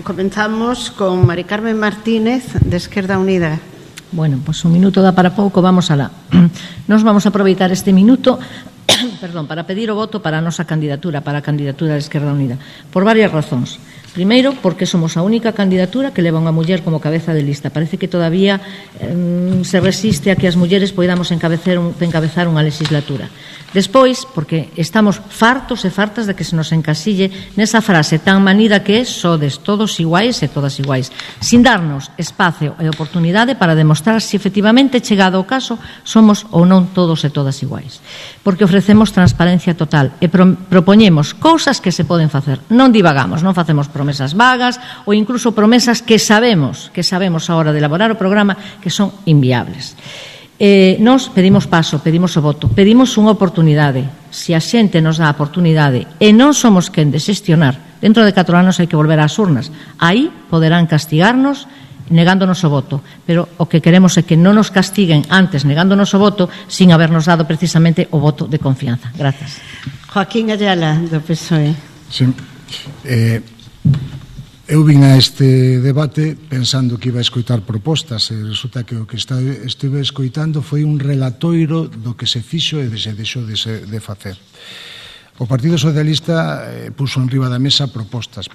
comenzamos con Mari Carmen Martínez, de Esquerda Unida. Bueno, pues un minuto dá para pouco, vamos alá. Nos vamos a aproveitar este minuto para pedir o voto para a nosa candidatura, para a candidatura de Esquerda Unida, por varias razóns. Primeiro, porque somos a única candidatura que leva unha muller como cabeza de lista. Parece que todavía se resiste a que as mulleres poidamos encabezar unha legislatura. Despois, porque estamos fartos e fartas de que se nos encasille nesa frase tan manida que é sodes todos iguais e todas iguais, sin darnos espacio e oportunidade para demostrar se efectivamente, chegado o caso, somos ou non todos e todas iguais. Porque ofrecemos transparencia total e propoñemos cousas que se poden facer. Non divagamos, non facemos promesas vagas ou incluso promesas que sabemos a hora de elaborar o programa que son inviables. Nos pedimos paso, pedimos o voto, pedimos unha oportunidade. Se a xente nos dá a oportunidade e non somos quen de xestionar, dentro de 4 anos hai que volver ás urnas. Aí poderán castigarnos negándonos o voto, pero o que queremos é que non nos castiguen antes negándonos o voto sin habernos dado precisamente o voto de confianza. Grazas. Joaquín Ayala, do PSOE. Sí. Eu vin a este debate pensando que iba a escoitar propostas e resulta que o que estive escoitando foi un relatoiro do que se fixo e se deixou de facer. O Partido Socialista puso en riba da mesa propostas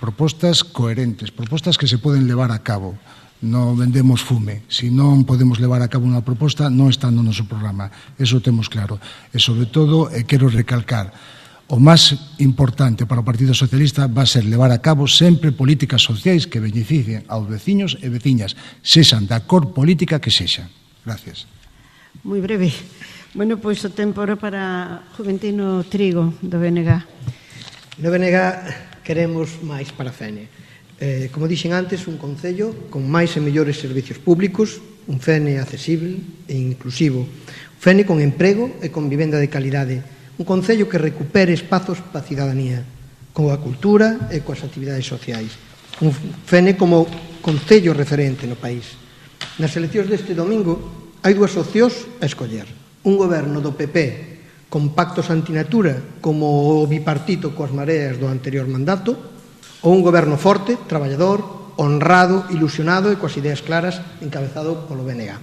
coherentes, propostas que se poden levar a cabo. Non vendemos fume. Se non podemos levar a cabo unha proposta, non está no noso programa. Eso temos claro. E, sobre todo, quero recalcar, o máis importante para o Partido Socialista va a ser levar a cabo sempre políticas sociais que beneficien aos veciños e veciñas, sexan da cor política que sexan. Gracias. Moi breve. Bueno, pois o tempo era para Juventino Trigo, do BNG. No BNG queremos máis para FENE. Como dixen antes, un concello con máis e mellores servicios públicos, un FENE accesible e inclusivo, un FENE con emprego e con vivenda de calidade, un concello que recupere espazos para a cidadanía, coa cultura e coas actividades sociais. Un FENE como concello referente no país. Nas eleccións deste domingo hai 2 opcións a escoller. Un goberno do PP con pactos antinatura como o bipartito coas mareas do anterior mandato, ou un goberno forte, traballador, honrado, ilusionado e coas ideas claras encabezado polo BNG.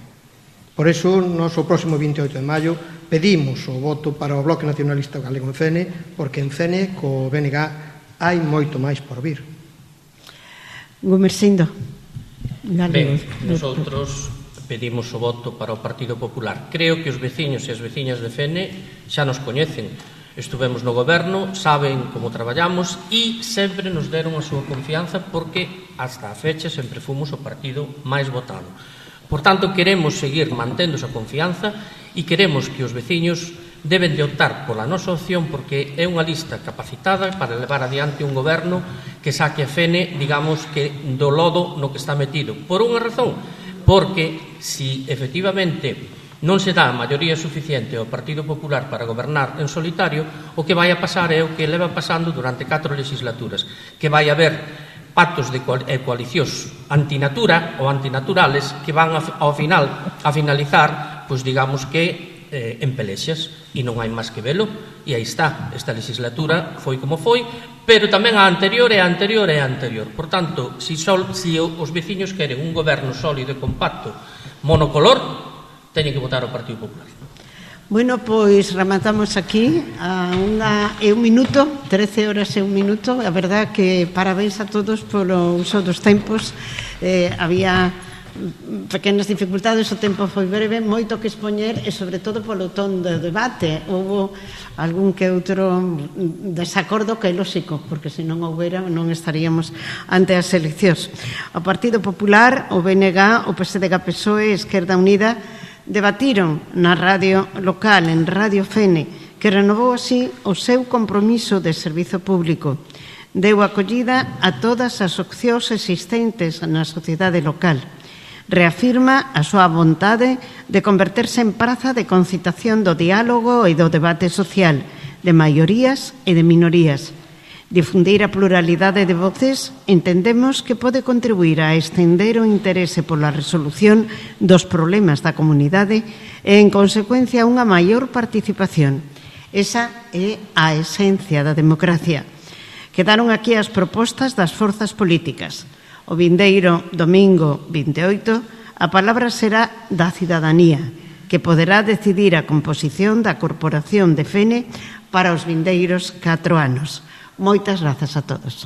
Por iso, nos o próximo 28 de maio pedimos o voto para o Bloque Nacionalista Galego en FENE, porque en FENE, co BNG, hai moito máis por vir. Gumersindo. Ben, nosotros pedimos o voto para o Partido Popular. Creo que os veciños e as veciñas de FENE xa nos coñecen. Estuvemos no goberno, saben como traballamos e sempre nos deron a súa confianza porque hasta a fecha sempre fomos o partido máis votado. Por tanto, queremos seguir mantendo esa confianza e queremos que os veciños deben de optar pola nosa opción porque é unha lista capacitada para levar adiante un goberno que saque a FENE, digamos, que do lodo no que está metido. Por unha razón, porque si efectivamente non se dá a maioría suficiente ao Partido Popular para gobernar en solitario, o que vai a pasar é o que leva pasando durante 4 legislaturas, que vai haber pactos de coalicións antinatura ou antinaturales que van ao final a finalizar, pois digamos que en pelexas, e non hai máis que velo, e aí está, esta legislatura foi como foi, pero tamén a anterior e a anterior e a anterior. Por tanto, se os veciños queren un goberno sólido e compacto monocolor, teñen que votar o Partido Popular. Bueno, pois rematamos aquí a 1 minuto, 13 horas e 1 minuto. A verdad que parabéns a todos polo uso dos tempos. Había pequenas dificultades, o tempo foi breve, moito que expoñer e sobre todo polo ton do debate. Houve algún que outro desacordo que é lóxico, porque se non houbera non estaríamos ante as eleccións. O Partido Popular, o BNG, o PSDG-PSOE e Esquerda Unida debatiron na radio local, en Radio FENE, que renovou así o seu compromiso de servizo público. Deu acollida a todas as opcións existentes na sociedade local. Reafirma a súa vontade de converterse en praza de concitación do diálogo e do debate social, de maiorías e de minorías. Difundir a pluralidade de voces entendemos que pode contribuir a estender o interese pola resolución dos problemas da comunidade e, en consecuencia, unha maior participación. Esa é a esencia da democracia. Quedaron aquí as propostas das forzas políticas. O vindeiro domingo 28, a palabra será da cidadanía, que poderá decidir a composición da Corporación de Fene para os vindeiros 4 anos. Moitas grazas a todos.